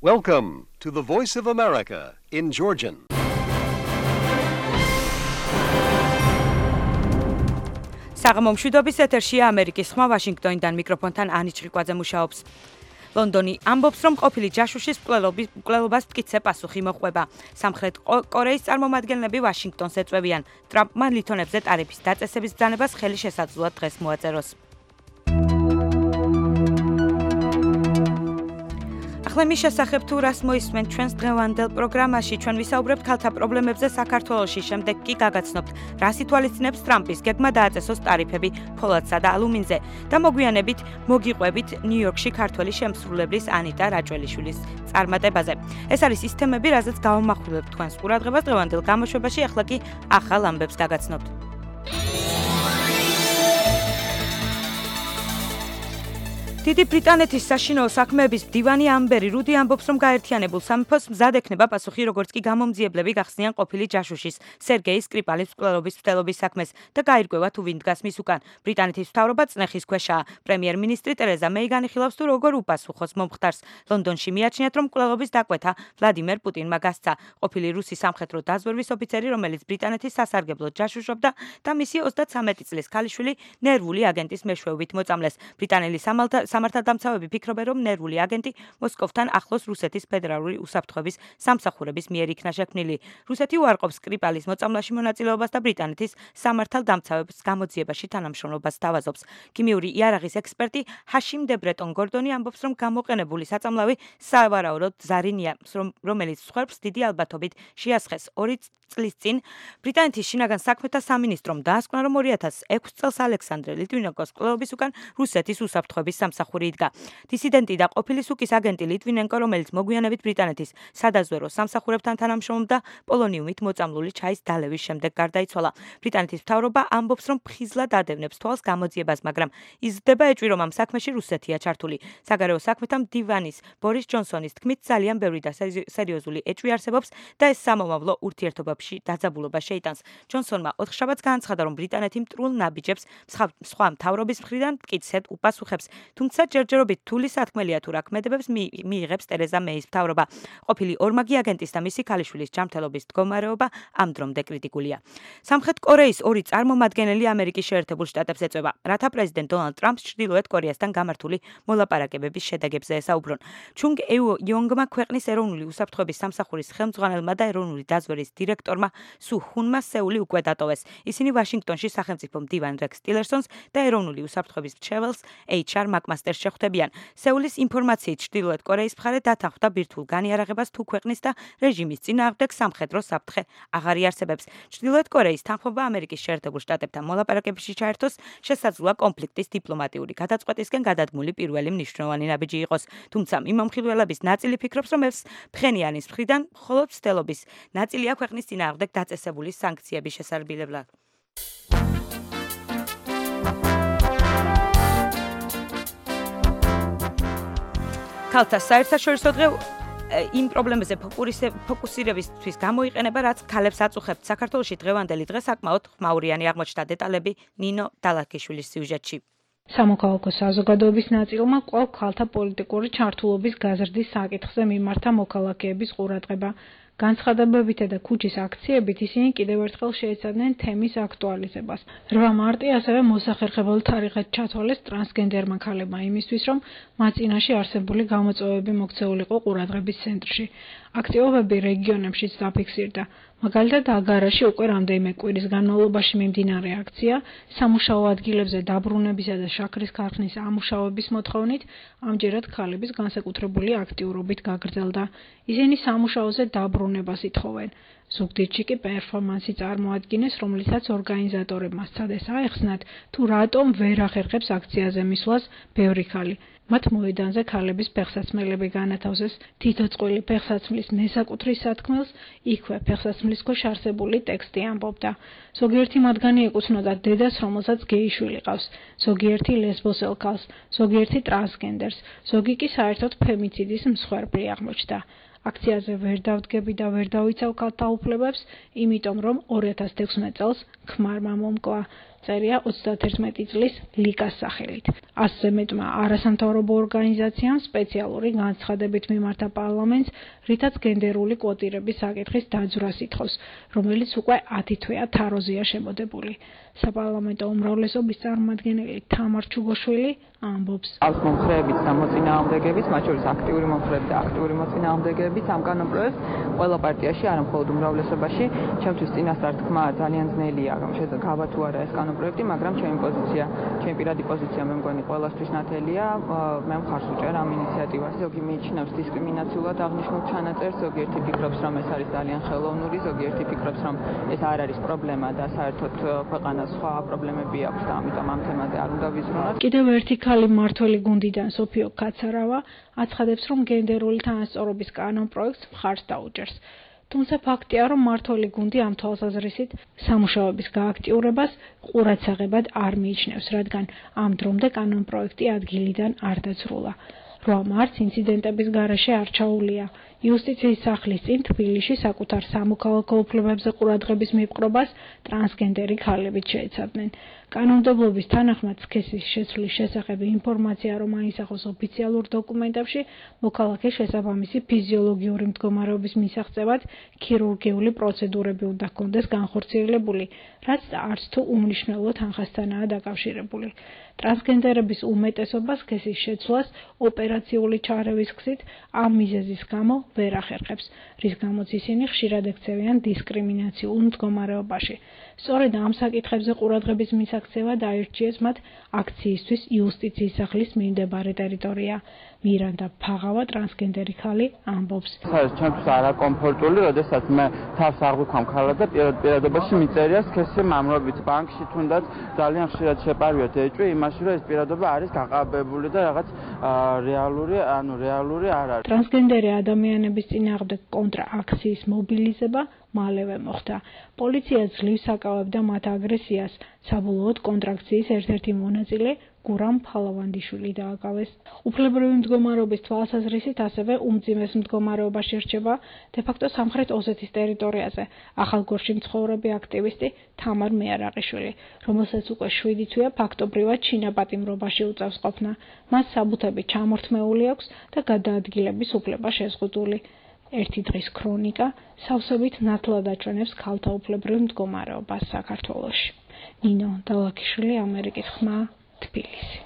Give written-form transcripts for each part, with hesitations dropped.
Welcome to the Voice of America in Georgian. საღამომშვიდობის ეთერშია ამერიკის ხმა ვაშინგტონიდან მიკროფონთან ანი ჭრიკვაძე მუშაობს. ლონდონი ამბობს, რომ ყოფილი ჯაშუშის მკვლელობას მტკიცე პასუხი მოჰყვება. სამხრეთ კორეის წარმომადგენლები ვაშინგტონს ეწვევიან. ტრამპმა ლითონებზე ტარიფის დაწესების ბრძანებას ხელი შესაძლოა დღეს მოაწეროს. ახლა შესახებ თუ რას მოისმენთ ჩვენს დღევანდელ პროგრამაში, ჩვენ ვისაუბრებთ ქალთა პრობლემებზე საქართველოში, შემდეგ კი გაგაცნობთ, რას ითვალისწინებს ტრამპის გეგმა დააწესოს ტარიფები ფოლადსა და ალუმინზე და მოგვიანებით მოგიყვებით ნიუ-იორკში ქართველი შემსრულებლის ანიტა რაჭველიშვილის წარმატებაზე. ეს არის ის თემები, რაზეც გავამახვილებთ თქვენს ყურადღებას დღევანდელ გამოშვებაში, ახლა კი ახალ ამბებს გაგაცნობთ. დიდი ბრიტანეთის საშინაო საქმეების მდივანი ამბერი რუდი ამბობს, რომ გაერთიანებულ სამეფოს მზად ექნება პასუხი, როგორც კი გამომძიებლები გახსნიან ყოფილი ჯაშუშის სერგეი სკრიპალის მკვლელობის მცდელობის საქმეს და გაირკვევა თუ ვინ დგას მის უკან. ბრიტანეთის მთავრობა წნეხის ქვეშაა. პრემიერ-მინისტრი ტერეზა მეი განიხილავს, თუ როგორ უპასუხოს მომხდარს. ლონდონში მიაჩნიათ, რომ მკვლელობის დაკვეთა ვლადიმერ პუტინმა გასცა. ყოფილი რუსი სამხედრო დაზვერვის ოფიცერი, რომელიც ბრიტანეთის სასარგებლოდ ჯაშუშობდა და მისი 33 წლის ქალიშვილი ნერვული აგენტის მეშვეობით მოწამლეს. ბრიტანელი სამართალდამცავები ფიქრობენ, რომ ნერვული აგენტი მოსკოვთან ახლოს რუსეთის ფედერალური უსაფრთხოების სამსახურების მიერ იქნა შექმნილი. რუსეთი უარყოფს სკრიპალის მოწამვლაში მონაწილეობას და ბრიტანეთის სამართალდამცავების გამოძიებაში თანამშრომლობას სთავაზობს. ქიმიური იარაღის ექსპერტი ჰაშიმ დე ბრეტონ გორდონი ამბობს, რომ გამოყენებული საწამლავი სავარაუდოდ ზარინია, რომელიც სხვებს დიდი ალბათობით შეასხეს 2 წლის წინ. ბრიტანეთის შინაგან საქმეთა სამინისტრომ დაასკვნა, რომ 2006 წელს ალექსანდრე ლიტვინენკოს მკვლელობის უკან რუსეთის უსაფრთხოების სამსახური იდგა. დისიდენტი და ყოფილი სუკის აგენტი ლიტვინენკო, რომელიც მოგვიანებით ბრიტანეთის სადაზვერო სამსახურებთან თანამშრომლობდა, პოლონიუმით მოწამლული ჩაის დალევის შემდეგ გარდაიცვალა. ბრიტანეთის მთავრობა ამბობს, რომ ფხიზლად ადევნებს თვალს გამოძიებას, მაგრამ იზრდება ეჭვი, რომ ამ საქმეში რუსეთია ჩართული. საგარეო საქმეთა მდივანის ბორის ჯონსონის თქმით, ძალიან ბევრი და სერიოზული ეჭვი არსებობს და ეს სამომავლო ურთიერთობებში დაძაბულობა შეიტანს. ჯონსონმა ოთხშაბათს განაცხადა, რომ ბრიტანეთი მტრულ ნაბიჯებს სხვა მთავრობის მხრიდან მტკიცედ უპასუხებს. თუმცა ჯერჯერობით თული სათქმელია თუ რა ქმედებებს მიიღებს ტერეზა მეის მთავრობა. ყოფილი ორმაგი აგენტის და მისი ქალიშვილის ჯანმრთელობის მდგომარეობა ამ დრომდე კრიტიკულია. სამხრეთ კორეის 2 წარმომადგენელი ამერიკის შეერთებულ შტატებს ეწვევა, რათა პრეზიდენტ დონალდ ტრამპს ჩრდილოეთ კორეასთან გამართული მოლაპარაკებების შედეგებზე ესაუბრონ. ჩუნგ ეუ-იონგმა ქვეყნის ეროვნული უსაფრთხოების სამსახურის ხელმძღვანელმა და ეროვნული დაზვერვის დირექტორმა სუ ჰუნმა სეული უკვე დატოვეს. ისინი ვაშინგტონში სახელმწიფო მდივან რექს ტილერსონს და ეროვნული უსაფრთხოების მრჩეველს HR მაკმასტერს შეხვდებიან. სეულის ინფორმაციით ჩრდილოეთ კორეის მხარე დათანხმდა ბირთვულ განიარაღებას თუ ქვეყნის და რეჟიმის წინააღმდეგ სამხედრო საფრთხე აღარ იარსებებს. ჩრდილოეთ კორეის თანხმობა ამერიკის შეერთებულ შტატებთან მოლაპარაკებებში ჩაერთოს შესაძლოა კონფლიქტის დიპლომატიური გადაწყვეტისკენ გადადგმული პირველი მნიშვნელოვანი ნაბიჯი იყოს. თუმცა მიმომხილველების ნაწილი ფიქრობს, რომ ეს ფხენიანის მხრიდან მხოლოდ მცდელობის ნაწილია ქვეყნის წინააღმდეგ დაწესებული სანქციების შესარბილებლად. ქალთა საერთაშორისო დღე იმ პრობლემებზე ფოკუსირებისთვის გამოიყენება, რაც ქალებს აწუხებთ. საქართველოში დღევანდელი დღე საკმაოდ ხმაურიანი აღმოჩნდა. დეტალები ნინო დალაქიშვილის სიუჟეტში. სამოქალაქო საზოგადოების ნაწილმა კვლავ ქალთა პოლიტიკური ჩართულობის გაზრდის საკითხზე მიმართა მოქალაქეების ყურადღება. განცხადებებითა და ქუჩის აქციებით ისინი კიდევ ერთხელ შეეცადნენ თემის აქტუალიზებას. 8 მარტი ასევე მოსახერხებელ თარიღად ჩათვალეს ტრანსგენდერმა ქალებმა იმისთვის, რომ მათ წინაშე არსებული გამოწვევები მოქცეულიყო ყურადღების ცენტრში. აქტივობები რეგიონებშიც დაფიქსირდა. მაგალითად, აგარაში უკვე რამდენიმე კვირის განმავლობაში მიმდინარე აქცია სამუშაო ადგილებზე დაბრუნებისა და შაქრის ქარხნის ამუშავების მოთხოვნით ამჯერად ქალების განსაკუთრებული აქტიურობით გაგრძელდა. ისინი სამუშაოზე დაბრუნებას ითხოვენ. ზუგდიდში კი პერფორმანსი წარმოადგინეს, რომლითაც ორგანიზატორებმა სცადეს აეხსნათ, თუ რატომ ვერ ახერხებს აქციაზე მისვლას ბევრი ქალი. მათ მოედანზე ქალების ფეხსაცმელები განათავსეს. თითო წყვილი ფეხსაცმლის მესაკუთრის სათქმელს იქვე ფეხსაცმლის ქვეშ არსებული ტექსტი ამბობდა. ზოგიერთი მათგანი ეკუთვნოდა დედას, რომელსაც გეიშვილი ყავს. ზოგიერთი ლესბოსელქალს, ზოგიერთი ტრანსგენდერს, ზოგი კი საერთოდ ფემიციდის მსხვერპლი აღმოჩნდა. აქციაზე ვერ დავდგები და ვერ დავიცავ ქალთა უფლებებს, იმიტომ რომ 2016 წელს ქმარმა მომკლა. წერია 31 წლის ლიკას სახელით. 100-ზე მეტმა არასამთავრობო ორგანიზაციამ სპეციალური განცხადებით მიმართა პარლამენტს, რითაც გენდერული კვოტირების საკითხის დაძვრას ითხოვს, რომელიც უკვე 10 თვეა თაროზეა შემოდებული. საპარლამენტო უმრავლესობის წარმომადგენელი თამარ ჩუგოშვილი ამბობს. Აქვს მომხრეებით და მოწინააღმდეგებით, მათ შორის აქტიური მომხრეებით და აქტიური მოწინააღმდეგებით ამ კანონპროექტს ყველა პარტიაში, არა მხოლოდ უმრავლესობაში, ჩემთვის წინასწარ თქმა ძალიან ძნელია, რომ შედგება თუ არა ეს კანონპროექტი, მაგრამ ჩემი პირადი პოზიცია მე მგონი ყველასთვის ნათელია, მე მხარს ვუჭერ ამ ინიციატივას. ზოგი მიიჩნევს დისკრიმინაციულად აღნიშნულ ჩანაწერს, ზოგიერთი ფიქრობს, რომ ეს არის ძალიან ხელოვნური, ზოგიერთი ფიქრობს, რომ ეს არ არის პრობლემა და საერთოდ ქვეყანას სხვა პრობლემები აქვს და ამიტომ ამ თემაზე არ უნდა ვიზრუნოთ. კიდევ ერთი ქალი მმართველი გუნდიდან სოფიო კაცარავა აცხადებს, რომ გენდერული თანასწორობის კანონპროექტს მხარს დაუჭერს. თუმცა ფაქტია, რომ მმართველი გუნდი ამ თვალსაზრისით სამუშაოების გააქტიურებას ყურადსაღებად არ მიიჩნევს, რადგან ამ დრომდე კანონპროექტი ადგილიდან არ დაძრულა. 8 მარტს ინციდენტების გარეშე არ ჩაუვლია. იუსტიციის სახლის წინ თბილისში საკუთარ სამოქალაქო უფლებებზე ყურადღების მიპყრობას ტრანსგენდერი ქალებიც შეეცადნენ. კანონმდებლობის თანახმად სქესის შეცვლის შესახებ ინფორმაცია რომ აისახოს ოფიციალურ დოკუმენტებში, მოქალაქეს შესაბამისი ფიზიოლოგიური მდგომარეობის მისაღწევად ქირურგიული პროცედურები უნდა ჰქონდეს განხორციელებული, რაც არც თუ უმნიშვნელო თანხასთანაა დაკავშირებული. ტრანსგენდერების უმეტესობა სქესის შეცვლას ოპერაციული ჩარევის გზით ამ მიზეზის გამო ვერ ახერხებს, რის გამოც ისინი ხშირად ექცევიან დისკრიმინაციულ მდგომარეობაში. სწორედ ამ საკითხებზე ყურადღების მისაქცევა დაირჩიეს მათ აქციისთვის იუსტიციის სახლის მიმდებარე ტერიტორია. მირანდა ფაღავა ტრანსგენდერი ქალი ამბობს. ჩემთვის არაკომფორტული, როდესაც მე თავს აღვიქვამ ქალად და პირადობაში მიწერია სქესი მამრობით ბანკში თუნდაც ძალიან ხშირად შეპარვიოთ ეჭვი იმაში, რომ ეს პირადობა არის გაყალბებული და რაღაც რეალური არ არის. ტრანსგენდერი ადამიანების წინააღმდეგ კონტრაქციის მობილიზება მალევე მოხდა. პოლიცია ძლივს აკავებდა მათ აგრესიას. საბოლოოდ კონტრაქციის ერთ-ერთი მონაწილე გურამ ფალავანდიშვილი დააკავეს. უფლებრივი მდგომარეობის თვალსაზრისით ასევე უმძიმეს მდგომარეობაში რჩება დე-ფაქტო სამხრეთ ოსეთის ტერიტორიაზე ახალგორში მცხოვრები აქტივისტი თამარ მეარაყიშვილი, რომელსაც უკვე 7 თვეა ფაქტობრივად ჩინაპატიმრობაში უწევს ყოფნა. მას საბუთები ჩამორთმეული აქვს და გადაადგილების უფლება შეზღუდული. ერთი დღის ქრონიკა სავსებით ნათლად აჩვენებს ქალთა უფლებრივ მდგომარეობას საქართველოში. ნინო დალაქიშვილი, ამერიკის ხმა, თბილისი.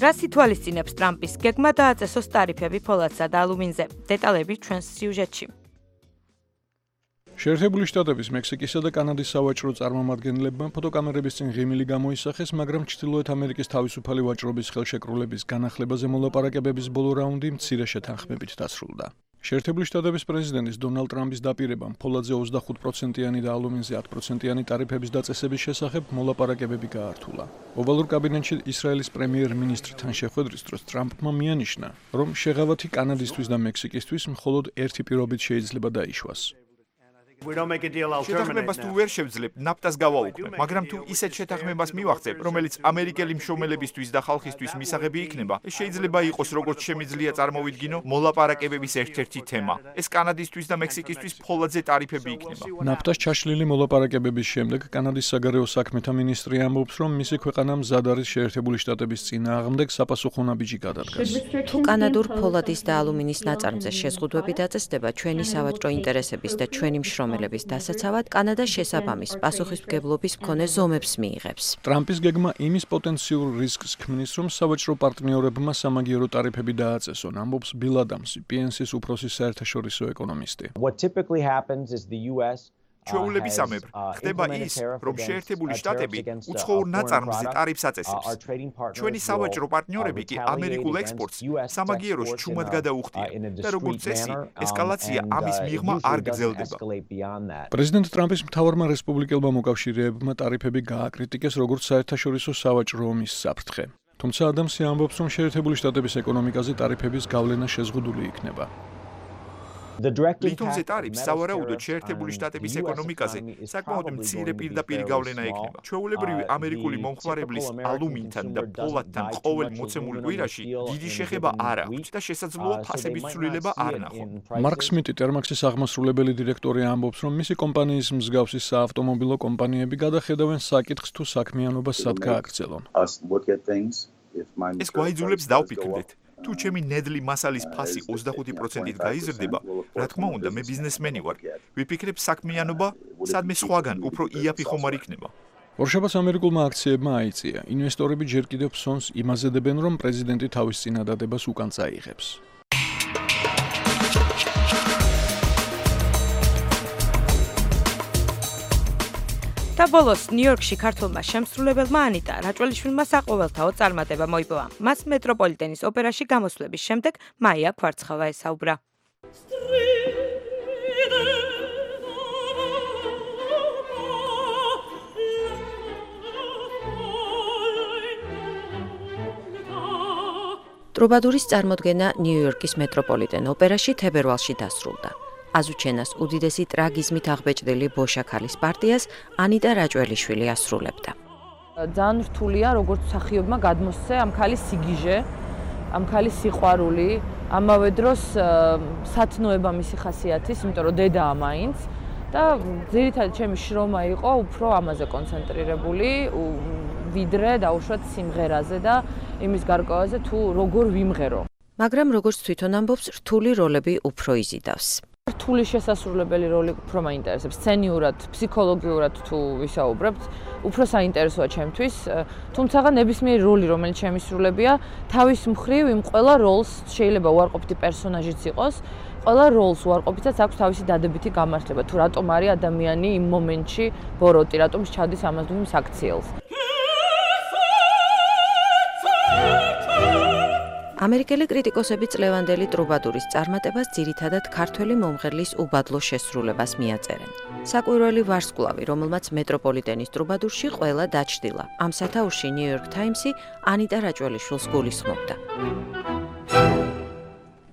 რას ითვალისწინებს ტრამპის გეგმა დააწესოს ტარიფები ფოლადსა და ალუმინზე? დეტალები ჩვენს სიუჟეტში. შეერთებული შტატების, მექსიკისა და კანადის სავაჭრო წარმომადგენლებმა ფოტოკამერების წინ ღიმილი გამოისახეს, მაგრამ ჩრდილოეთ ამერიკის თავისუფალი ვაჭრობის ხელშეკრულების განახლებაზე მოლაპარაკებების ბოლო რაუნდი მცირე შეთანხმებით დასრულდა. შეერთებული შტატების პრეზიდენტის დონალდ ტრამპის დაპირებამ ფოლადზე 25%-იანი და ალუმინზე 10%-იანი ტარიფების დაწესების შესახებ მოლაპარაკებები გაართულა. ოვალურ კაბინეტში ისრაელის პრემიერ-მინისტრთან შეხვედრის დროს ტრამპმა მიანიშნა, რომ შეღავათი კანადისთვის და მექსიკისთვის მხოლოდ ერთი პირობით შეიძლება დაიშვას. შეთანხმებას თუ ვერ შევძლებ, ნაფტას გავაუქმებ, მაგრამ თუ ისეთ შეთანხმებას მივახცებ, რომელიც ამერიკელი მშრომელებისთვის და ხალხისთვის მისაღები იქნება, ეს შეიძლება იყოს როგორც შემიძლია წარმოვიდგინო, მოლაპარაკებების ერთ-ერთი თემა. ეს კანადისთვის და მექსიკისთვის ფოლადზე ტარიფები იქნება. ნაფტას ჩაშლილი მოლაპარაკებების შემდეგ კანადის საგარეო საქმეთა მინისტრი ამბობს, რომ მისი ქვეყანა მზად არის შეერთებული შტატების წინააღმდეგ საპასუხო ნაბიჯი გადადგას. თუ კანადურ ფოლადის და ალუმინის ნაწარმზე შეზღუდვები დაწესდება ჩვენი სავაჭრო ინტერესების და ჩვენი მშრომელების დასაცავად, კანადა შესაბამის პასუხისმგებლობის მქონე ზომებს მიიღებს. ტრამპის გეგმა იმის პოტენციურ რისკს ქმნის, რომ სავაჭრო პარტნიორებმა სამაგიერო ტარიფები დააწესონ, ამბობს ბილ ადამსი, PNC-ის უფროსი საერთაშორისო ეკონომისტი. ჩვეულებისამებრ ხდება ის, რომ შეერთებული შტატები უცხოურ ნაწარმზე ტარიფს აწესებს. ჩვენი სავაჭრო პარტნიორები კი ამერიკულ ექსპორტს სამაგიეროს ჩუმად გადაუხდიან და როგორც წესი, ესკალაცია ამის მიღმა არ გრძელდება. პრეზიდენტ ტრამპის მთავარმა რესპუბლიკელმა მოკავშირეებმა ტარიფები გააკრიტიკეს როგორც საერთაშორისო სავაჭრო ომის საფრთხე. თუმცა ადამსი ამბობს, რომ შეერთებული შტატების ეკონომიკაზე ტარიფების გავლენა შეზღუდული იქნება. ლითონზე ტარიფს სავარაუდოდ შეერთებული შტატების ეკონომიკაზე საკმაოდ მცირე პირდაპირი გავლენა ექნება. ჩვეულებრივი ამერიკული მომხმარებლის ალუმინთან და ფოლადთან ყოველ მოცემულ კვირაში დიდი შეხება არ აქვს და შესაძლოა ფასების ცვლილება არ ნახონ. მარკ სმიტი ტერმაქსის აღმასრულებელი დირექტორი ამბობს, რომ მისი კომპანიის მსგავსი საავტომობილო კომპანიები გადახედავენ საკითხს თუ საქმიანობა სად გააგრძელონ. ეს გვაიძულებს დავფიქრდეთ. თუ ჩემი ნედლი მასალის ფასი 25%-ით გაიზრდება, რა თქმა უნდა, მე ბიზნესმენი ვარ. ვიფიქრებ საქმიანობა, სადმე სხვაგან უფრო იაფი ხომ არ იქნება. ორშაბათს ამერიკულმა აქციებმა აიწია. ინვესტორები ჯერ კიდევ ფსონს იმაზედებენ, რომ პრეზიდენტი თავის წინადადებას უკან წაიღებს. და ბოლოს ნიუ-იორკში ქართველმა შემსრულებელმა ანიტა რაჭველიშვილმა საყოველთაო წარმატება მოიპოვა. მას მეტროპოლიტენის ოპერაში გამოსვლების შემდეგ მაია ქვარცხავა ესაუბრა. ტრუბადურის წარმოდგენა ნიუ-იორკის მეტროპოლიტენ ოპერაში თებერვალში დასრულდა. აზუჩენას უდიდესი ტრაგიზმით აღბეჭდილი ბოშაქალის პარტიას ანიტა რაჭველიშვილი ასრულებდა. ძალიან რთულია, როგორც მსახიობმა გადმოსცე ამ ქალის სიგიჟე, ამ ქალის სიყვარული, ამავე დროს სათნოება მისი ხასიათის, იმიტომ რომ დედაა მაინც და ძირითადად ჩემი შრომა იყო უფრო ამაზე კონცენტრირებული, ვიდრე დაუშვათ სიმღერაზე და იმის გარკვევაზე თუ როგორ ვიმღერო. მაგრამ როგორც თვითონ ამბობს, რთული როლები უფრო იზიდავს. რთული შესასრულებელი როლი უფრო მაინტერესებს, სცენიურად, ფსიქოლოგიურად თუ ვისაუბრებთ, უფრო საინტერესოა ჩემთვის, თუმცა ნებისმიერი როლი, რომელიც შემისრულებია, თავის მხრივ იმ ყველა როლს შეიძლება უარყოფითი პერსონაჟიც იყოს, ყველა როლს უარყოფითაც აქვს თავისი დადებითი გამართლება, თუ რატომ არის ადამიანი იმ მომენტში ბოროტი, რატომ ჩადის ამას თუ იმ საქციელს. ამერიკელი კრიტიკოსები წლევანდელი ტრუბადურის წარმატებას ძირითადად ქართველი მომღერლის უბადლო შესრულებას მიაწერენ. საკვირველი ვარსკვლავი, რომელმაც მეტროპოლიტენის ტრუბადურში ყველა დაჩრდილა. ამ სათაურში ნიუ-იორკ ტაიმსი ანიტა რაჭველიშვილს გულისხმობდა.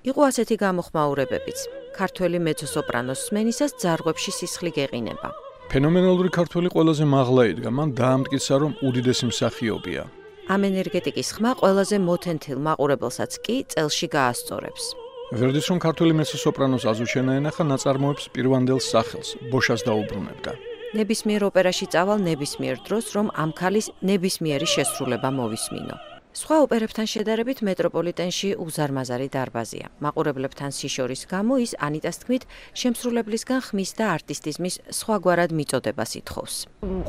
იყო ასეთი გამოხმაურებებიც. ქართველი მეცო-სოპრანოს სმენისას ძარღვებში სისხლი გეყინება. ფენომენალური ქართველი ყველაზე მაღლა იდგა, მან დაამტკიცა, რომ უდიდესი მსახიობია. ამ ენერგეტიკის ხმა ყველაზე მოთენთილ მაყურებელსაც კი წელში გაასწორებს. ვერდის რომ ქართველი მეცო-სოპრანოს აზუჩენა ენახა ნაწარმოებს პირვანდელ სახელს, ბოშას დაუბრუნებდა. ნებისმიერ ოპერაში წავალ ნებისმიერ დროს, რომ ამ ქალის ნებისმიერი შესრულება მოვისმინო. სხვა ოპერებთან შედარებით მეტროპოლიტენში უზარმაზარი დარბაზია. მაყურებლებთან სიშორის გამო ის ანიტას თქმით შემსრულებლისგან ხმის და არტისტიზმის სხვაგვარად მიწოდებას ითხოვს.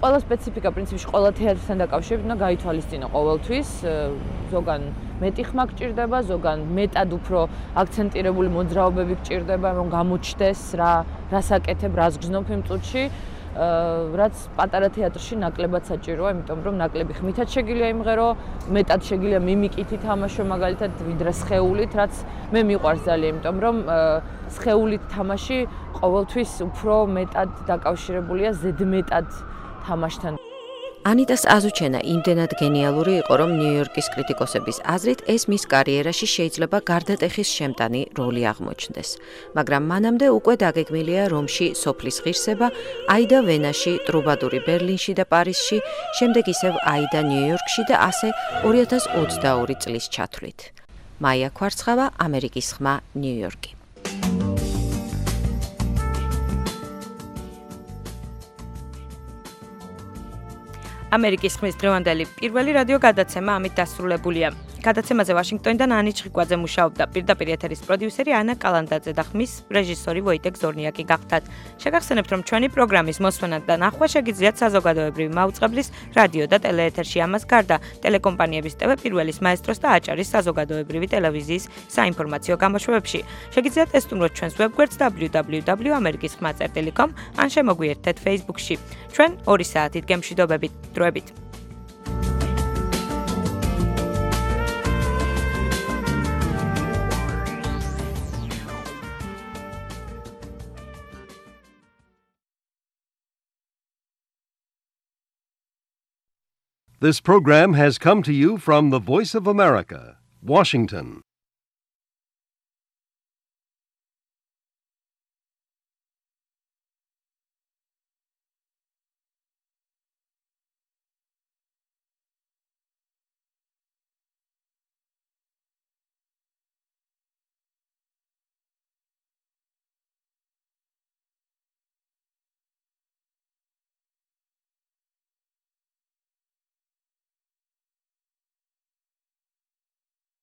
ყველა სპეციფიკა პრინციპში ყველა თეატრთან დაკავშირებით უნდა გაითვალისწინო ყოველთვის. ზოგან მეტი ხმა გჭირდება, ზოგან მეტად უფრო აქცენტირებული მოძრაობები გჭირდება, რომ გამოჩნდეს რას აკეთებ, რას გრძნობ იმ წუთში. რაც პატარა თეატრში ნაკლებად საჭიროა, იმიტომ რომ ნაკლები ხმითაც შეგიძლია იმღერო, მეტად შეგიძლია მიმიკით ითამაშო, მაგალითად ვიდრე სხეულით, რაც მე მიყვარს ძალიან, იმიტომ რომ სხეულით თამაში ყოველთვის უფრო მეტად დაკავშირებულია ზედმეტად თამაშთან. ანიტას აზუჩენა იმდენად გენიალური იყო, რომ ნიუ-იორკის კრიტიკოსების აზრით ეს მის კარიერაში შეიძლება გარდატეხის შემტანი როლი აღმოჩნდეს. მაგრამ მანამდე უკვე დაგეგმილია რომში სოფლის ღირსება, აიდა ვენაში, ტრუბადური ბერლინში და პარიზში, შემდეგ ისევ აიდა ნიუ-იორკში და ასე 2022 წლის ჩათვლით. მაია ქვარცხავა, ამერიკის ხმა, ნიუ-იორკი. ამერიკის ხმის დღევანდელი პირველი რადიო გადაცემა ამით დასრულებულია. გადაცემაზე ვაშინგტონიდან ანი ჩხიკვაძე მუშაობდა, პირდაპირ ეთერის პროდიუსერი ანა კალანდაძე და ხმის რეჟისორი ვოიტეკ ზორნიაკი გახდათ. შეგახსენებთ, რომ ჩვენი პროგრამის მოსვენა და ნახვა შეგიძლიათ საზოგადოებრივი მაუწყებლის რადიო და ტელეეთერში. ამას გარდა ტელეკომპანიების TV პირველის მაესტროს და აჭარის საზოგადოებრივი ტელევიზიის საინფორმაციო გამოშვებებში. შეგიძლიათ ესტუმროთ ჩვენს ვებგვერდს www.amerikiskhma.com ან შემოგვიერთდეთ Facebook-ში. ჩვენ 2 საათით გემშვიდობებით. დროებით. This program has come to you from the Voice of America, Washington.